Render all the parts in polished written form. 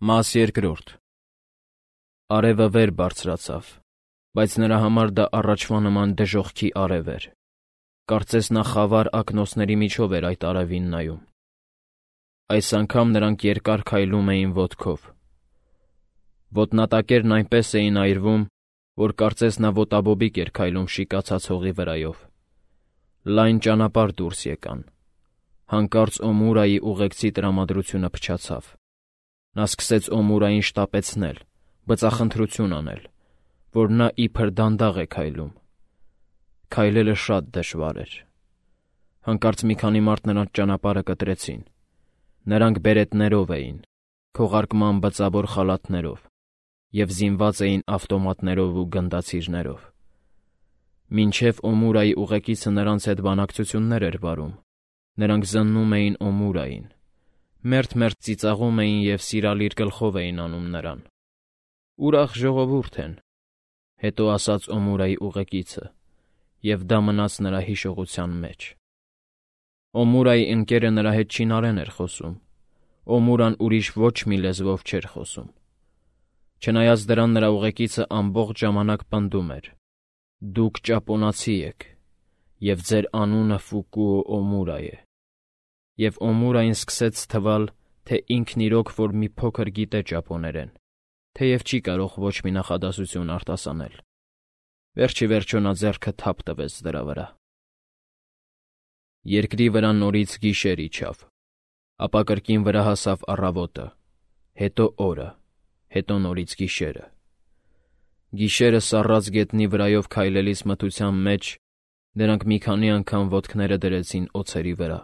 Մաս երկրորդ. Արևը վեր բարձրացավ, բայց նրա համար դա առաջվա նման դժոխքի արև էր. կարծես նա խավար ակնոցների միջով էր այդ արևին նայում։ Այս անգամ նրանք երկար քայլում էին ոտքով։ Ոտնատակերն այնպես էին այրվում, որ կարծես նա ոտաբոբիկ էր քայլում շիկացած հողի վրայով։ Լայն ճանապարհ դուրս եկան։ Հանկարծ Օմուրայի ուղեկցի տրամադրությունը փչացավ։ Նա սկսեց Օմուրային շտապեցնել, բծախնդրություն անել, որ նա իբր դանդաղ է քայլում։ Քայլելը շատ դժվար էր։ Հանկարծ մի քանի մարդ նրանց ճանապարհը կտրեցին։ Նրանք բերետներով էին, քողարկման բծավոր խալաթներով և զինված էին ավտոմատներով ու գնդացիրներով։ Մինչև Օմուրայի ուղեկիցը նրանց հետ բանակցություններ էր վարում, նրանք զննում էին Օմուրային, մերթ-մերթ ծիծաղում էին և սիրալիր գլխով էին անում նրան։ «Ուրախ ժողովուրդ են», հետո ասաց Օմուրայի ուղեկիցը, և դա մնաց նրա հիշողության մեջ։ Օմուրայի ընկերը նրա հետ չինարեն էր խոսում, Օմուրան ուրիշ ոչ մի լեզվով չէր խոսում։ Չնայած դրան նրա ուղեկիցը ամբողջ ժամանակ պնդում էր. «Դուք ճապոնացի եք, և ձեր անունը Ֆուկուո Օմուրա է»։ Եվ Օմուրային սկսեց թվալ, թե ինքն իրոք որ մի փոքր գիտե ճապոներեն, թեև չի կարող ոչ մի նախադասություն արտասանել։ Վերջ ի վերջո նա ձեռքը թափ տվեց դրա վրա։ Երկրի վրա նորից գիշեր իջավ, ապա կրկին վրա հասավ առավոտը, հետո օրը, հետո նորից գիշերը։ Գիշերը սառած գետնի վրայով քայլելիս մթության մեջ նրանք մի քանի անգամ ոտքները դրեցին օձերի վրա։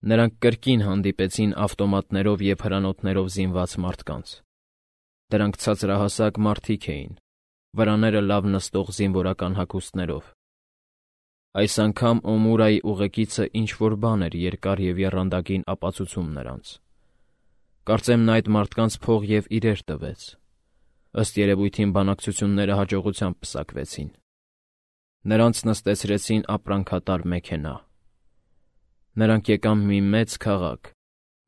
Նրանք կրկին հանդիպեցին ավտոմատներով և հրանոթներով զինված մարդկանց։ Դրանք ցածրահասակ մարդիկ էին, վրաները լավ նստող զինվորական հագուստներով։ Այս անգամ Օմուրայի ուղեկիցը ինչ-որ բան էր երկար և եռանդակին ապացուցում նրանց։ Կարծեմ նա այդ մարդկանց փող և իրեր տվեց։ Ըստ երևույթին բանակցությունները հաջողությամբ պսակվեցին։ Նրանց նստեցրեցին ապրանքատար մեքենա։ Նրանք եկան մի մեծ քաղաք,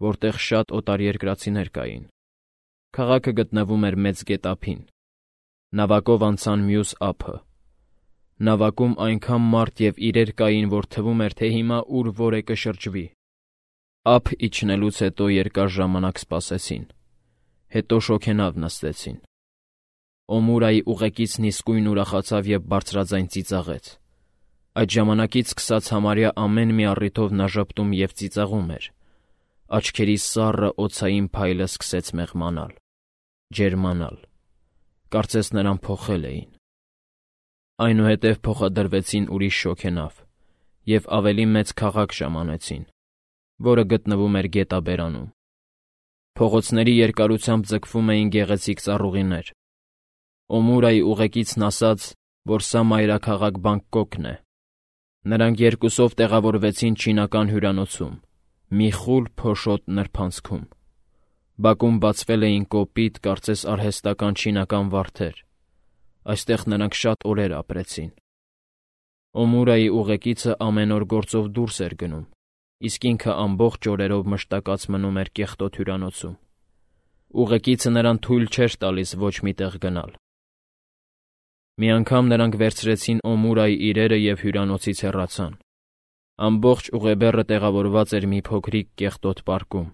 որտեղ շատ օտարերկրացիներ կային։ Քաղաքը գտնվում էր մեծ գետափին։ Նավակով անցան մյուս ափը։ Նավակում այնքան մարդ և իրեր կային, որ թվում էր, թե հիմա ուր որ է կշրջվի։ Ափ իջնելուց հետո երկար ժամանակ սպասեցին։ Հետո շոգենավ նստեցին։ Օմուրայի ուղեկիցն իսկույն ուրախացավ և բարձրաձայն ծիծաղեց։ Այդ ժամանակից սկսած համարյա ամեն մի առիթով նա ժպտում և ծիծաղում էր։ Աչքերի սառը օձային փայլը սկսեց մեղմանալ, ջերմանալ։ Կարծես նրան փոխել էին։ Այնուհետև փոխադրվեցին ուրիշ շոգենավ և ավելի մեծ քաղաք ժամանեցին, որը գտնվում էր գետաբերանում։ Փողոցների երկարությամբ ձգվում էին գեղեցիկ ծառուղիներ։ Օմուրայի ուղեկիցն ասաց, որ սա մայրաքաղաք Բանգկոկն է։ Նրանք երկուսով տեղավորվեցին չինական հյուրանոցում, մի խուլ փոշոտ նրբանցքում։ Բակում բացվել էին կոպիտ, կարծես արհեստական չինական վարդեր։ Այստեղ նրանք շատ օրեր ապրեցին։ Օմուրայի ուղեկիցը ամեն օր գործով դուրս էր գնում, իսկ ինքը ամբողջ օրերով մշտակած մնում էր կեղտոտ հյուրանոցում։ Ուղեկիցը նրան թույլ չէր տալիս ոչ մի տեղ գնալ։ Մի անգամ նրանք վերցրեցին Օմուրայի իրերը և հյուրանոցից հեռացան։ Ամբողջ ուղեբեռը տեղավորված էր մի փոքրիկ կեղտոտ պարկում։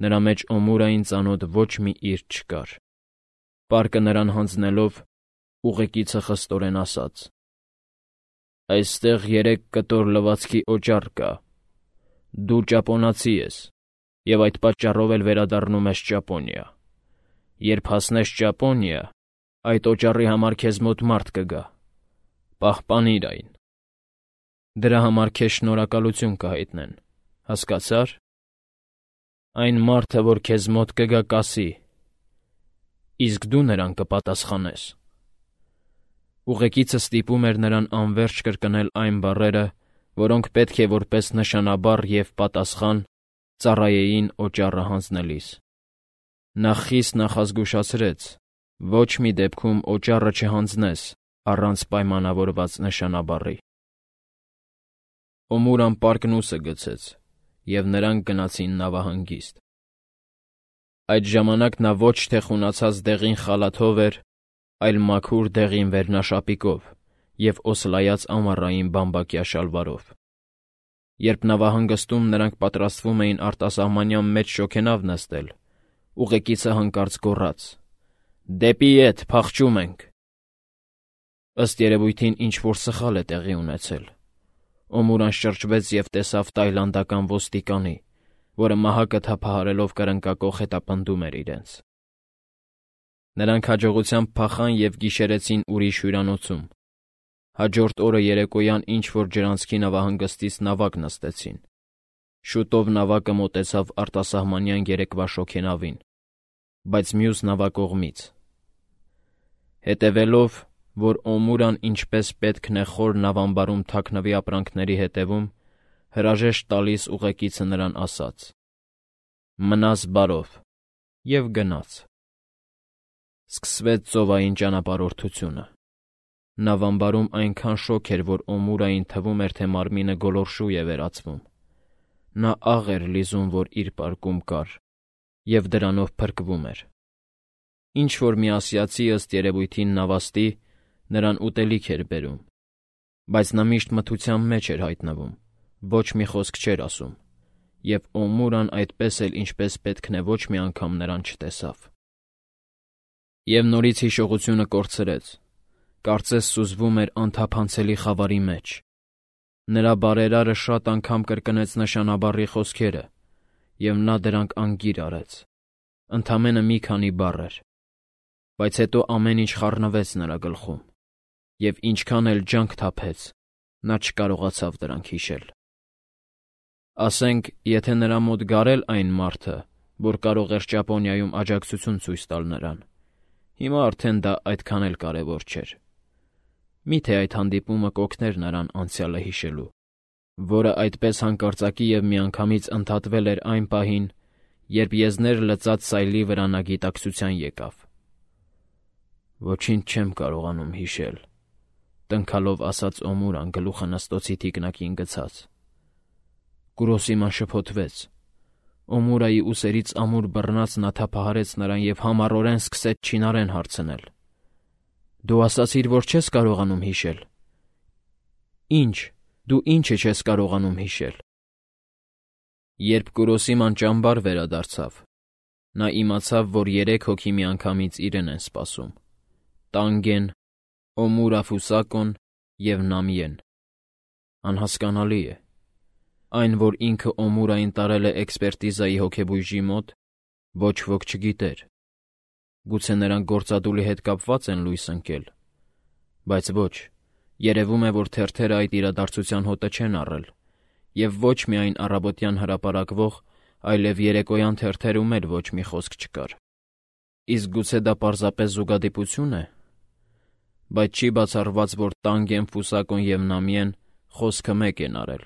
Նրա մեջ Օմուրային ծանոթ ոչ մի իր չկար։ Պարկը նրան հանձնելով, ուղեկիցը խստորեն ասաց. «Այստեղ 3 կտոր լվացքի օճառ կա։ Դու ճապոնացի ես և այդ պատճառով էլ վերադառնում ես Ճապոնիա։ Երբ հասնես Ճապոնիա, այդ օճառի համար քեզ մոտ մարդ կգա։ Պահպանիր այն։ Դրա համար քեզ շնորհակալություն կհայտնեն, հասկացա՞ր։ Այն մարդը, որ քեզ մոտ կգա, կասի. իսկ դու նրան կպատասխանես»։ Ուղեկիցը ստիպում էր նրան անվերջ կրկնել այն բառերը, որոնք պետք է որպես նշանաբառ և պատասխան ծառայեին օճառը հանձնելիս։ Նա խիստ նախազգուշացրեց. ոչ մի դեպքում օճառը չհանձնես առանց պայմանավորված նշանաբառի։ Օմուրան պարկն ուսը գցեց, և նրանք գնացին նավահանգիստ։ Այդ ժամանակ նա ոչ թե խունացած դեղին խալաթով էր, այլ մաքուր դեղին վերնաշապիկով և օսլայած ամառային բամբակյա շալվարով։ Երբ նավահանգստում նրանք պատրաստվում էին արտասահմանյան մեծ շոգենավ նստել, ուղեկիցը հանկարծ գոռաց. «Դեպի ետ, փախչում ենք»։ Ըստ երևույթին ինչ-որ սխալ է տեղի ունեցել։ Օմուրան շրջվեց և տեսավ տայլանդական ոստիկանի, որը մահակը թափահարելով կրնկակոխ հետապնդում էր իրենց։ Նրանք հաջողությամբ փախան և գիշերեցին ուրիշ հյուրանոցում։ Հաջորդ օրը երեկոյան ինչ-որ ջրանցքի նավահանգստից նավակ նստեցին։ Շուտով նավակը մոտեցավ արտասահմանյան երեկվա շոգենավին, բայց մյուս նավակողմից։ Հետևելով, որ Օմուրան ինչպես պետքն է խոր նավամբարում թաքնվի ապրանքների հետևում, հրաժեշտ տալիս ուղեկիցը նրան ասաց. «Մնաս բարով» և գնաց։ Սկսվեց ծովային ճանապարհորդությունը։ Նավամբարում այնքան շոգ էր, որ Օմուրային թվում էր, թե մարմինը գոլորշու է վերածվում։ Նա աղ էր լիզում, որ իր պարկում կար, և դրանով փրկվում էր։ Ինչ-որ մի ասիացի, ըստ երևույթին նավաստի, նրան ուտելիք էր բերում, բայց նա միշտ մթության մեջ էր հայտնվում, ոչ մի խոսք չէր ասում, և Օմուրան այդպես էլ ինչպես պետքն է ոչ մի անգամ նրան չտեսավ։ Եվ նորից հիշողությունը կորցրեց, կարծես սուզվում էր անթափանցելի խավարի մեջ։ Նրա բարերարը շատ անգամ կրկնեց նշանաբառի խոսքերը, և նա դրանք անգիր արեց։ Ընդամենը մի քանի բառ էր, բայց հետո ամեն ինչ խառնվեց նրա գլխում, և ինչքան էլ ջանք թափեց, նա չկարողացավ դրանք հիշել։ Ասենք, եթե նրա մոտ գար էլ այն մարդը, որ կարող էր Ճապոնիայում աջակցություն ցույց տալ նրան, հիմա արդեն դա այդքան էլ կարևոր չէր։ Միթե այդ հանդիպումը կօգներ նրան անցյալը հիշելու, որը այդպես հանկարծակի և միանգամից ընդհատվել էր այն պահին, երբ եզներ լծած սայլի վրա նա գիտակցության եկավ։ «Ոչինչ չեմ կարողանում հիշել», տնքալով ասաց Օմուրան գլուխը նստոցի թիկնակին գցած։ Կուրոսիման շփոթվեց։ Օմուրայի ուսերից ամուր բռնած նա թափահարեց նրան և համառորեն սկսեց չինարեն հարցնել. «Դու ասացիր, որ չես կարողանում հիշել»։ «Ի՞նչ, դու ի՞նչը չես կարողանում հիշել»։ Երբ Կուրոսիման ճամբար վերադարձավ, նա իմացավ, որ 3 հոգի միանգամից իրեն են սպասում. Տանգեն, Օմուրա Ֆուսակոն և Նամիեն։ Անհասկանալի է։ Այն, որ ինքը Օմուրային տարել է էքսպերտիզայի հոգեբույժի մոտ, ոչ ոք չգիտեր։ Գուցե նրանք գործադուլի հետ կապված են լույս ընկել։ Բայց ոչ, երևում է, որ թերթերը այդ իրադարձության հոտը չեն առել, և ոչ միայն առավոտյան հրապարակվող, այլև երեկոյան թերթերում էլ ոչ մի խոսք չկար։ Իսկ գուցե դա պարզապես զուգադիպությո՞ւն է։ Բայց չի բացառված, որ Տանգեն, Ֆուսակոն և Նամիեն խոսքը մեկ են արել,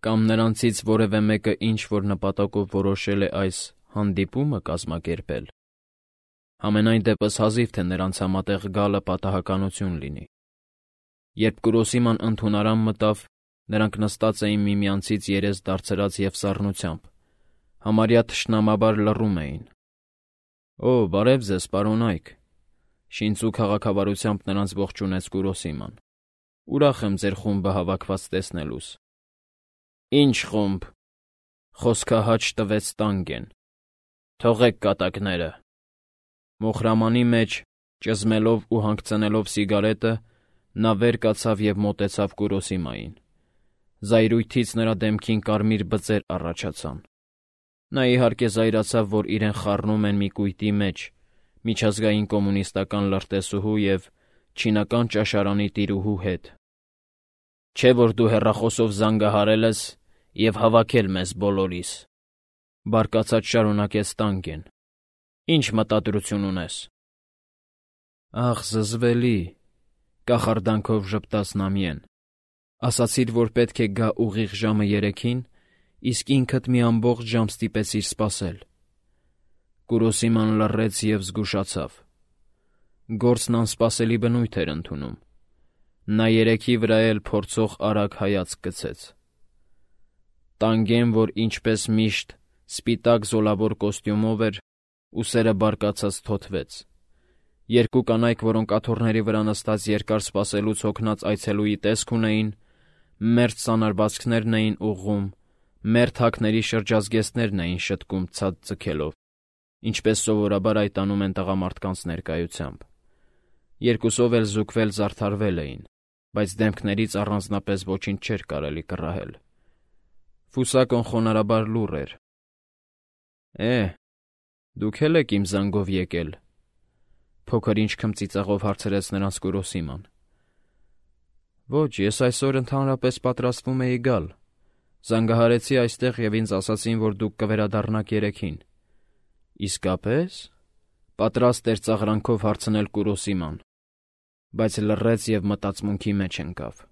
կամ նրանցից որևէ մեկը ինչ-որ նպատակով որոշել է այս հանդիպումը կազմակերպել։ Համենայն դեպս հազիվ թե նրանց համատեղ գալը պատահականություն լինի։ Երբ Կուրոսիման ընդունարան մտավ, նրանք նստած էին միմյանցից երես դարձրած և սառնությամբ, համարյա թշնամաբար լռում էին։ «Օ, բարև ձեզ, պարոնայք», շինծու քաղաքավարությամբ նրանց ողջունեց Կուրոսիման։ «Ուրախ եմ ձեր խումբը հավաքված տեսնելուս»։ «Ի՞նչ խումբ», խոսքահաճ տվեց Տանգեն։ «Թողեք կատակները»։ Մոխրամանի մեջ, ճզմելով ու հանգցնելով սիգարետը, նա վեր կացավ և մոտեցավ Կուրոսիմային։ Զայրույթից նրա դեմքին կարմիր բծեր առաջացան։ Նա իհարկե զայրացավ, որ իրեն խառնում են մի կույտի մեջ, միջազգային կոմունիստական լրտեսուհու և չինական ճաշարանի տիրուհու հետ։ «Չէ՞ որ դու հեռախոսով զանգահարել ես և հավաքել մեզ բոլորիս», բարկացած շարունակեց Տանգեն։ «Ի՞նչ մտադրություն ունես»։ «Ախ, զզվելի», կախարդանքով ժպտաց Նամիեն։ «Ասացիր, որ պետք է գա ուղիղ ժամը 3-ին, իսկ ինքդ մի ամբողջ ժամ ստիպեցիր սպասել»։ Կուրոսիման լռեց և զգուշացավ։ Գործն անսպասելի բնույթ էր ընդունում։ Նա 3-ի վրա էլ փորձող արագ հայացք գցեց։ Տանգեն, որ ինչպես միշտ սպիտակ զոլավոր կոստյումով էր, ուսերը բարկացած թոթվեց։ Երկու կանայք, որոնք աթոռների վրա նստած երկար սպասելուց հոգնած այցելուի տեսք ունեին, մերթ սանրվածքներն էին ուղղում, մերթ հագների շրջազգեստներն էին շտկում ցած ձգելով, ինչպես սովորաբար այդ անում են տղամարդկանց ներկայությամբ։ Երկուսով էլ զուգվել զարդարվել էին, բայց դեմքներից առանձնապես ոչինչ չէր կարելի կռահել։ Ֆուսակոն խոնարհաբար լուռ էր։ Դուք էլ եք իմ զանգով եկել, փոքր-ինչ քմծիծաղով հարցրեց նրանց Կուրոսիման։ Ոչ, ես այսօր ընդհանրապես պատրաստվում էի գալ։ Զանգահարեցի այստեղ և ինձ ասացին, որ դուք կվերադառնաք երեքին։ Իսկապես։ Պատրաստ էր ծաղրանքով հարցնել Կուրոսիման, բայց լռեց և մտածմունքի մեջ ընկավ։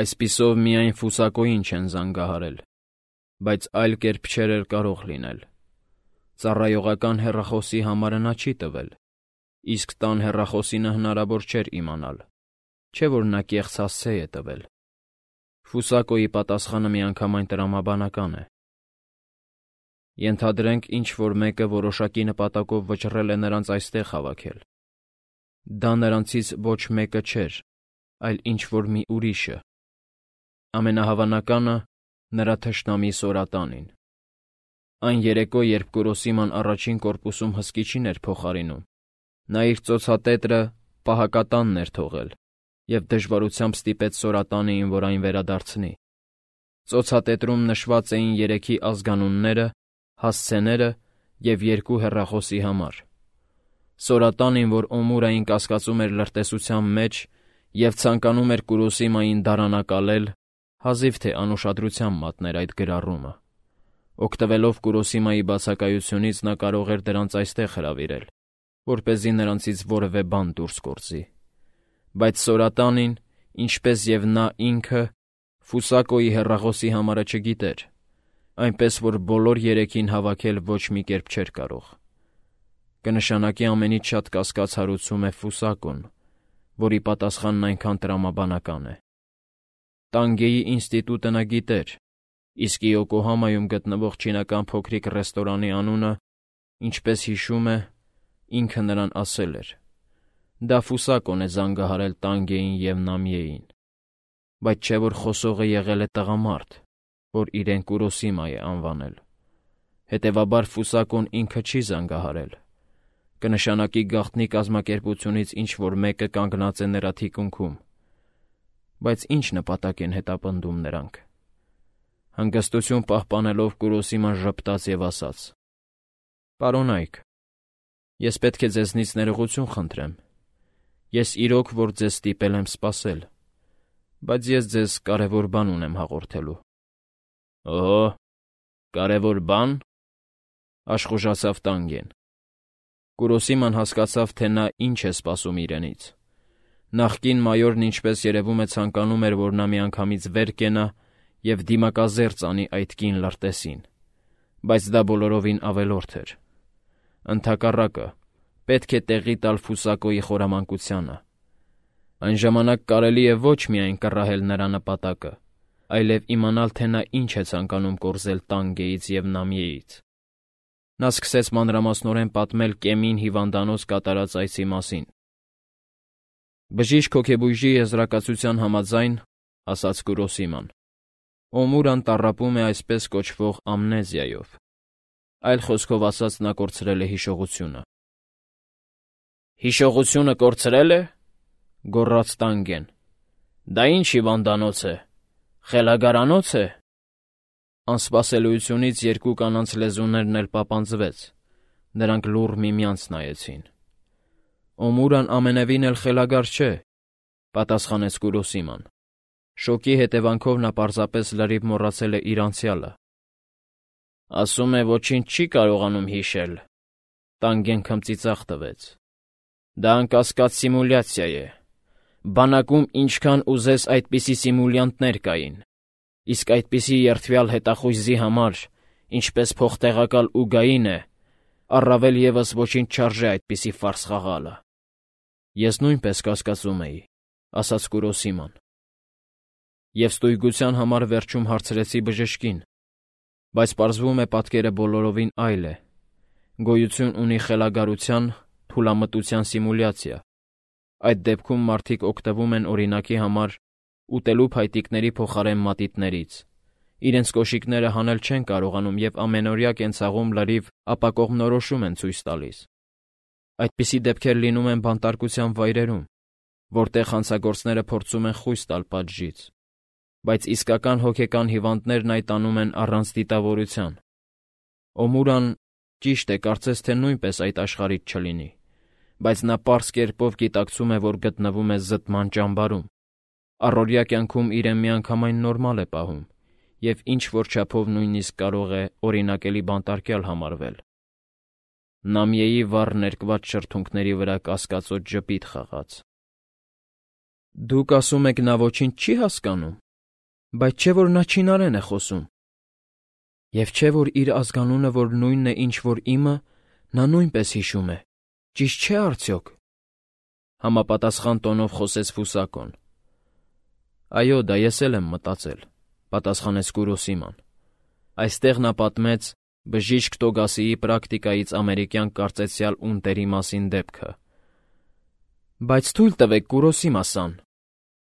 Այսպիսով միայն Ֆուսակոյին չեն զանգահարել, բայց այլ կերպ չէր էլ կարող լինել։ Ծառայողական հեռախոսի համարը նա չի տվել, իսկ տան հեռախոսինը հնարավոր չէր իմանալ, չէ՞ որ նա կեղծ հասցե է տվել։ Ֆուսակոյի պատասխանը միանգամայն տրամաբանական է։ Ենթադրենք, ինչ-որ մեկը որոշակի նպատակով վճռել է նրանց այստեղ հավաքել։ Դա նրանցից ոչ մեկը չէր, այլ ինչ-որ մի ուրիշը։ Ամենահավանականը նրա թշնամի Սորատանին։ Այն երեկո, երբ Կուրոսիման առաջին կորպուսում հսկիչին էր փոխարինում, նա իր ծոցատետրը պահակատանն էր թողել և դժվարությամբ ստիպեց Սորատանին, որ այն վերադարձնի։ Ծոցատետրում նշված էին երեքի ազգանունները, հասցեները և 2 հեռախոսի համար։ Սորատանին, որ Օմուրային կասկածում էր լրտեսության մեջ և ցանկանում էր Կուրոսիմային դարանակալել, հազիվ թե անուշադրությամբ մատներ այդ գրառումը։ Օգտվելով Կուրոսիմայի բացակայությունից նա կարող էր դրանց այստեղ հրավիրել, որպեսզի նրանցից որևէ բան դուրս գործի։ Բայց Սորատանին, ինչպես և նա ինքը, Ֆուսակոյի հեռախոսի համարը չգիտեր, այնպես որ բոլոր երեքին հավաքել ոչ մի կերպ չէր կարող։ Կնշանակի ամենից շատ կասկած հարուցում է Ֆուսակոն, որի պատասխանն այնքան տրամաբանական է։ Տանգեի ինստիտուտը նա գիտեր, իսկ Իոկոհամայում գտնվող չինական փոքրիկ ռեստորանի անունը, ինչպես հիշում է, ինքը նրան ասել էր։ Դա Ֆուսակոն է զանգահարել Տանգեին և Նամիեին։ Բայց չէ՞ որ խոսողը եղել է տղամարդ, որ իրեն Կուրոսիմա է անվանել։ Հետևաբար Ֆուսակոն ինքը չի զանգահարել։ Կնշանակի գաղտնի կազմակերպությունից ինչ-որ մեկը կանգնած է նրա թիկունքում։ Բայց ինչ նպատակ են հետապնդում նրանք։ Հանգստություն պահպանելով Կուրոսիման ժպտաց և ասաց. «Պարոնայք, ես պետք է ձեզնից ներողություն խնդրեմ։ Ես իրոք որ ձեզ ստիպել եմ սպասել, բայց ես ձեզ կարևոր բան ունեմ հաղորդելու»։ Օհո, կարևոր բան, աշխուժացավ Տանգեն։ Կուրոսիման հասկացավ, թե նա ինչ է սպասում իրենից։ Նախկին մայորն, ինչպես երևում է, ցանկանում էր, որ նա միանգամից վեր կենա և դիմակազերծ անի այդ կին լրտեսին, բայց դա բոլորովին ավելորդ էր։ Ընդհակառակը, պետք է տեղի տալ Ֆուսակոյի խորամանկությանը։ Այն ժամանակ կարելի է ոչ միայն կռահել նրա նպատակը, այլև իմանալ, թե նա ինչ է ցանկանում կորզել Տանգեից և Նամիեից։ Նա սկսեց մանրամասնորեն պատմել Կեմին հիվանդանոց կատարած այցի մասին։ Բժիշկ հոգեբույժի եզրակացության համաձայն, ասաց Կուրոսիման, Օմուրան տառապում է այսպես կոչվող ամնեզիայով։ Այլ խոսքով ասած, նա կորցրել է հիշողությունը։ Հիշողությունը կորցրել է, գոռաց Տանգեն։ Դա ինչ հիվանդանոց է, խելագարանոց է։ Անսպասելիությունից 2 կանանց լեզուներն էլ պապանձվեց, նրանք լուռ միմյանց նայեցին։ Օմուրան ամենևին էլ խելագար չէ, պատասխանեց Կուրոսիման։ Շոկի հետևանքով նա պարզապես լրիվ մոռացել է իր անցյալը։ Ասում է ոչինչ չի կարողանում հիշել։ Տանգեն քմծիծաղ տվեց։ Դա անկասկած սիմուլյացիա է։ Բանակում ինչքան ուզես այդպիսի սիմուլյանտներ կային, իսկ այդպիսի երդվյալ հետախույզի համար, ինչպես փոխտեղակալ Ուգային է, առավել ևս ոչինչ չարժե այդպիսի ֆարս խաղալը։ Ես նույնպես կասկածում էի, ասաց Կուրոսիման։ Եվ ստույգության համար վերջում հարցրեցի բժշկին, բայց պարզվում է պատկերը բոլորովին այլ է։ Գոյություն ունի խելագարության, թուլամտության սիմուլյացիա։ Այդ դեպքում մարդիկ օգտվում են օրինակի համար ուտելու փայտիկների փոխարեն մատիտներից։ Իրենց կոշիկները հանել չեն կարողանում և ամենօրյա կենցաղում լրիվ ապակողմնորոշում են ցույց տալիս։ Այդպիսի դեպքեր լինում են բանտարկության վայրերում, որտեղ հանցագործները փորձում են խույս տալ պատժից, բայց իսկական հոգեկան հիվանդներն այդ անում են առանց դիտավորության։ Օմուրան, ճիշտ է, կարծես թե նույնպես այդ աշխարհից չլինի, բայց նա պարզ կերպով գիտակցում է, որ գտնվում է զտման ճամբարում, առօրյա կյանքում իրեն միանգամայն նորմալ է պահում և ինչ-որ չափով նույնիսկ կարող է օրինակելի բանտարկյալ համարվել։ Նամիեի վառ ներկված շրթունքների վրա կասկածոտ ժպիտ խաղաց։ Դուք ասում եք նա ոչինչ չի հասկանում, բայց չէ՞ որ նա չինարեն է խոսում։ Եվ չէ՞ որ իր ազգանունը, որ նույնն է, ինչ որ իմը, նա նույնպես հիշում է, ճիշտ չէ՞ արդյոք։ Համապատասխան տոնով խոսեց Ֆուսակոն։ Այո, դա ես էլ եմ մտածել, պատասխանեց Կուրոսիման։ Այստեղ նա պատմեց բժիշկ Տոգասիի պրակտիկայից ամերիկյան կարծեցյալ ունտերի մասին դեպքը։ Բայց թույլ տվեք, Կուրոսիմա-սան,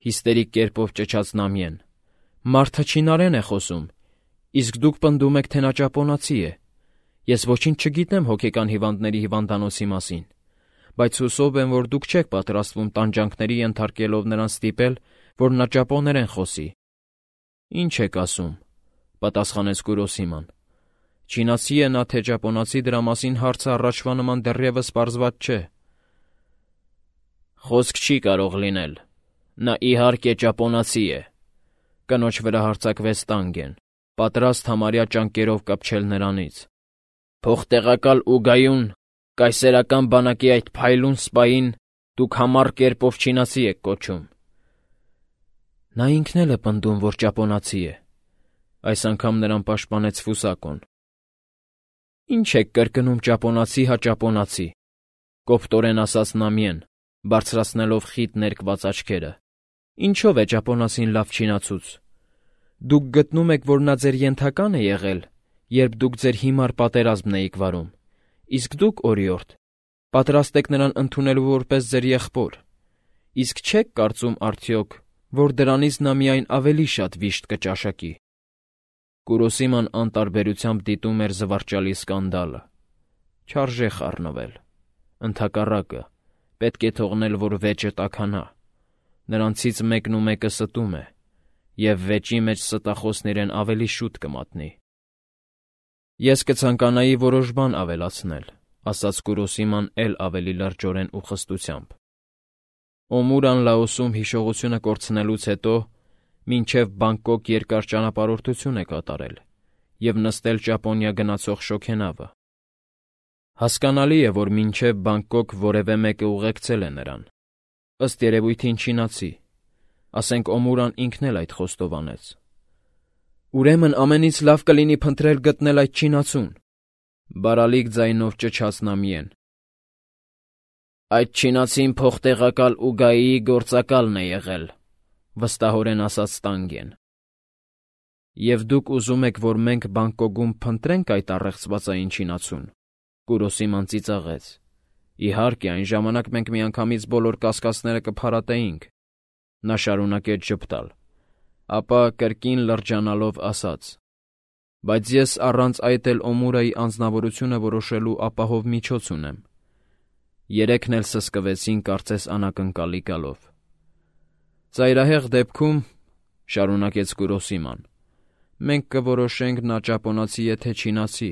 հիստերիկ կերպով ճչաց Նամիեն։ Մարդը չինարեն է խոսում, իսկ դուք պնդում եք, թե նա ճապոնացի է։ Ես ոչինչ չգիտեմ հոգեկան հիվանդների հիվանդանոցի մասին, բայց հուսով եմ, որ դուք չեք պատրաստվում տանջանքների ենթարկելով նրան ստիպել, որ նա ճապոներեն խոսի։ Ինչ եք ասում, պատասխանեց Կուրոսիման։ Չինացի է նա, թե ճապոնացի, դրա մասին հարցը առաջվա նման դեռևս պարզված չէ։ Խոսք չի կարող լինել։ Նա իհարկե ճապոնացի է։ Կնոջ վրա հարձակվեց Տանգեն, պատրաստ համարյա ճանկերով կպչել նրանից։ Փոխտեղակալ Ուգայուն, կայսերական բանակի այդ փայլուն սպային դուք համառ կերպով չինացի եք կոչում։ Նա ինքն էլ է պնդում, որ ճապոնացի է։ Այս անգամ նրան պաշտպանեց Ֆուսակոն։ Ինչ եք կրկնում ճապոնացի հա ճապոնացի, կոպտորեն ասաց Նամիեն, բարձրացնելով խիտ ներկված աչքերը։ Ինչով է ճապոնացին լավ չինացուց։ Դուք գտնում եք, որ նա ձեր ենթական է եղել, երբ դուք ձեր հիմար պատերազմն էիք վարում, իսկ դուք, օրիորդ, պատրաստ եք նրան ընդունելու որպես ձեր եղբոր, իսկ չեք կարծում արդյոք, որ դրանից նա միայն ավելի շատ վիշտ կճաշակի։ Կուրոսիման անտարբերությամբ դիտում էր զվարճալի սկանդալը։ Չարժե խառնվել։ Ընդհակառակը, պետք է թողնել, որ վեճը տաքանա։ Նրանցից մեկն ու մեկը ստում է, և վեճի մեջ ստախոսն իրեն ավելի շուտ կմատնի։ Ես կցանկանայի որոշ բան ավելացնել, ասաց Կուրոսիման էլ ավելի լրջորեն ու խստությամբ։ Օմուրան Լաոսում հիշողությունը կորցնելուց հետո մինչև Բանգկոկ երկար ճանապարհորդություն է կատարել և նստել Ճապոնիա գնացող շոգենավը։ Հասկանալի է, որ մինչև Բանգկոկ որևէ մեկը ուղեկցել է նրան։ Ըստ երևույթին չինացի, ասենք Օմուրան ինքն էլ այդ խոստովանեց։ Ուրեմն ամենից լավ կլինի փնտրել գտնել այդ չինացուն, բարալիկ ձայնով ճչաց Նամիեն։ Այդ չինացին փոխտեղակալ Ուգայիի գործակալն է եղել, վստահորեն ասաց Տանգեն։ Եվ դուք ուզում եք, որ մենք Բանգկոկում փնտրենք այդ առեղծվածային չինացուն, Կուրոսիման ծիծաղեց։ Իհարկե, այն ժամանակ մենք միանգամից բոլոր կասկածները կփարատեինք։ Նա շարունակեց ժպտալ, ապա կրկին լրջանալով ասաց. Բայց ես առանց այդ էլ Օմուրայի անձնավորությունը որոշելու ապահով միջոց ունեմ։ Երեքն էլ սսկվեցին կարծես անակնկալի գալով։ Ծայրահեղ դեպքում, շարունակեց Կուրոսիման, մենք կորոշենք նա ճապոնացի է թե չինացի,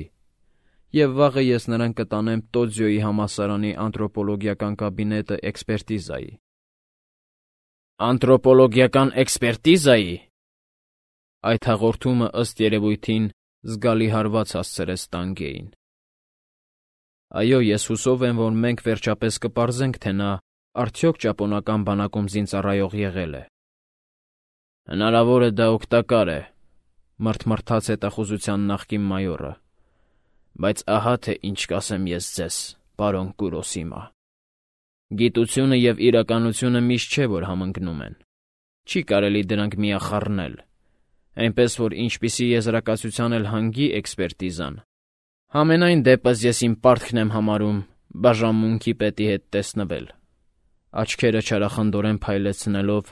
և վաղը ես նրան կտանեմ Տոձյոյի համալսարանի անթրոպոլոգիական կաբինետը էքսպերտիզայի։ Անթրոպոլոգիական էքսպերտիզայի։ Այդ հաղորդումը ըստ երևույթին զգալի հարված հասցրեց Տանգեին։ Այո, ես հուսով եմ, որ մենք վերջապես կպարզենք, թե նա արդյոք ճապոնական բանակում զինծառայող եղել է։ Հնարավոր է դա օգտակար է, մռթմռթաց հետախուզության նախկին մայորը, բայց ահա թե ինչ կասեմ ես ձեզ, պարոն Կուրոսիմա։ Գիտությունը և իրականությունը միշտ չէ, որ համընկնում են։ Չի կարելի դրանք միախառնել, այնպես որ ինչպիսի եզրակացության էլ հանգի էքսպերտիզան, Համենայն դեպս ես իմ պարտքն եմ համարում բաժանմունքի պետի հետ տեսնվել։ Աչքերը չարախնդորեն փայլեցնելով,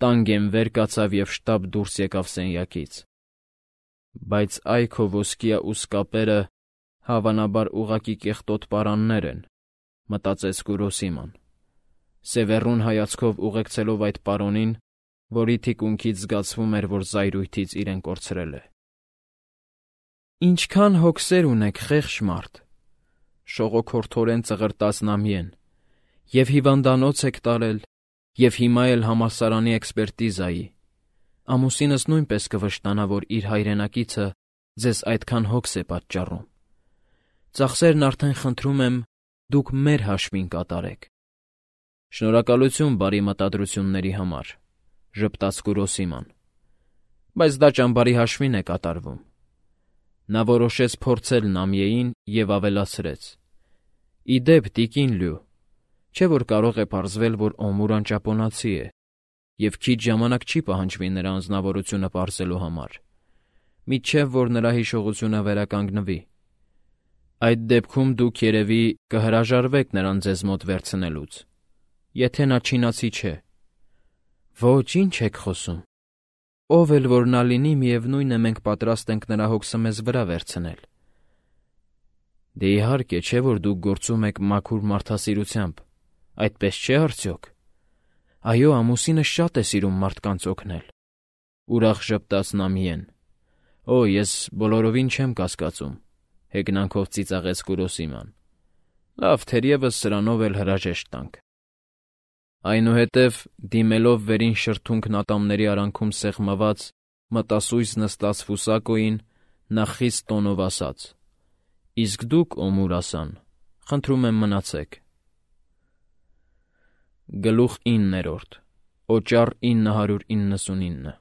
տանգեն վեր կացավ և շտապ դուրս եկավ սենյակից։ Բայց այ քո ոսկիա ու սկապերը հավանաբար ուղղակի կեղտոտ պարաններ են, մտածեց Կուրոսիման, սևեռուն հայացքով ուղեկցելով այդ պարոնին, որի թիկունքից զգացվում էր, որ զայրույթից իրեն կորցրել է։ Ինչքան հոգսեր ունեք, խեղճ մարդ, շողոքորթորեն ծղրտաց Նամիեն, և հիվանդանոց եք տարել, և հիմա էլ համալսարանի էքսպերտիզայի։ Ամուսինս նույնպես կվշտանա, որ իր հայրենակիցը ձեզ այդքան հոգս է պատճառում։ Ծախսերն արդեն խնդրում եմ, դուք մեր հաշվին կատարեք։ Շնորհակալություն բարի մտադրությունների համար, ժպտաց Կուրոսիման, բայց դա ճամբարի հաշվին է կատարվում։ Նա որոշեց փորձել Նամիեին և ավելացրեց. Ի դեպ, տիկին Լյու, չէ՞ որ կարող է պարզվել, որ Օմուրան ճապոնացի է, և քիչ ժամանակ չի պահանջվի նրա անձնավորությունը պարզելու համար, մինչև որ նրա հիշողությունը վերականգնվի։ Այդ դեպքում դուք երևի կհրաժարվեք նրան ձեզ մոտ վերցնելուց, եթե նա չինացի չէ։ Ոչ, ինչ եք խոսում։ Ով էլ որ նա լինի, միևնույն է, մենք պատրաստ ենք նրա հոգսը մեզ վրա վերցնել։ Դե իհարկե, չէ՞ որ դուք գործում եք մաքուր մարդասիրությամբ, այդպես չէ՞ արդյոք։ Այո, ամուսինս շատ է սիրում մարդկանց օգնել, ուրախ ժպտաց Նամիեն։ Օ, ես բոլորովին չեմ կասկածում, հեգնանքով ծիծաղեց Կուրոսիման։ Լավ, թերևս սրանով էլ հրաժեշտ տանք։ Այնուհետև, դիմելով վերին շրթունքն ատամների արանքում սեղմված, մտասույզ նստած Ֆուսակոյին, նա խիստ տոնով ասաց. Իսկ դուք, Օմուրասան, խնդրում եմ մնացեք։ Գլուխ 9, Օճառ 999